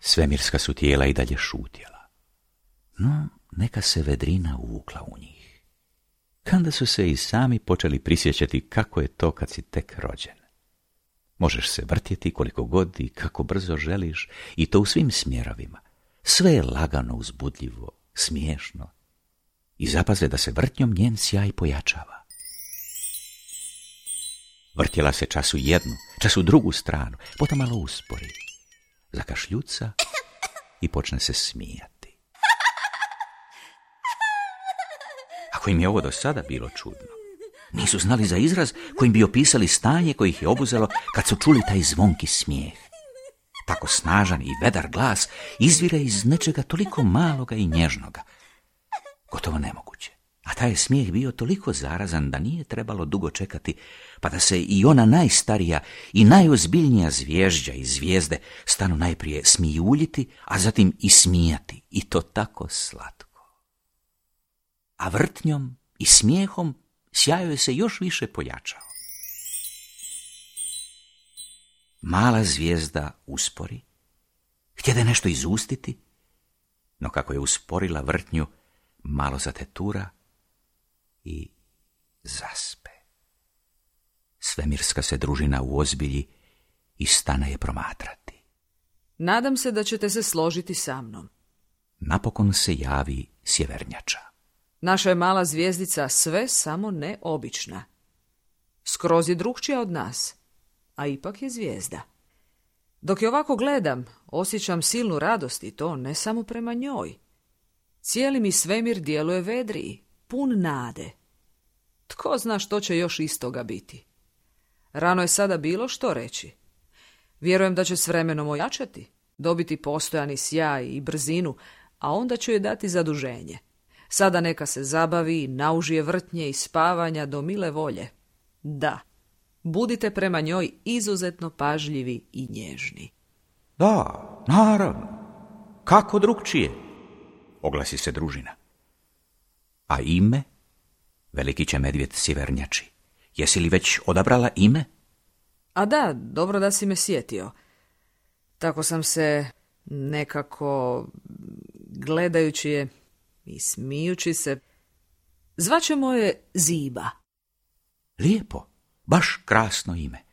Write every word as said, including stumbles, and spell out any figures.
Svemirska su tijela i dalje šutjela. No, neka se vedrina uvukla u njih. Kanda su se i sami počeli prisjećati kako je to kad si tek rođen. Možeš se vrtjeti koliko god i kako brzo želiš, i to u svim smjerovima. Sve je lagano, uzbudljivo, smiješno. I zapaze da se vrtnjom njen sjaj pojačava. Vrtjela se čas u jednu, čas u drugu stranu, potom malo uspori. Zakašljuca i počne se smijati. Ako im je ovo do sada bilo čudno, nisu znali za izraz kojim bi opisali stanje koje ih je obuzelo kad su čuli taj zvonki smijeh. Tako snažan i vedar glas izvire iz nečega toliko maloga i nježnoga. Gotovo nemoguće. A taj smijeh bio toliko zarazan da nije trebalo dugo čekati, pa da se i ona najstarija i najozbiljnija zvježđa i zvijezde stanu najprije smijuljiti, a zatim i smijati, i to tako slatko. A vrtnjom i smijehom sjaj joj se još više pojačao. Mala zvijezda uspori, htjede nešto izustiti, no kako je usporila vrtnju, malo zatetura i zaspe. Svemirska se družina uozbilji i stane je promatrati. Nadam se da ćete se složiti sa mnom. Napokon se javi sjevernjača. Naša je mala zvijezdica sve samo ne obična. Skroz je drukčija od nas, a ipak je zvijezda. Dok je ovako gledam, osjećam silnu radost, i to ne samo prema njoj. Cijeli mi svemir djeluje vedriji, pun nade. Tko zna što će još istoga biti? Rano je sada bilo što reći. Vjerujem da će s vremenom ojačati, dobiti postojani sjaj i brzinu, a onda ću je dati zaduženje. Sada neka se zabavi, naužije vrtnje i spavanja do mile volje. Da, budite prema njoj izuzetno pažljivi i nježni. Da, naravno. Kako drukčije? Oglasi se družina. A ime? Veliki će medvjed sjevernjači. Jesi li već odabrala ime? A da, dobro da si me sjetio. Tako sam se nekako, gledajući je i smijući se, zvaćemo je Ziba. Lijepo, baš krasno ime.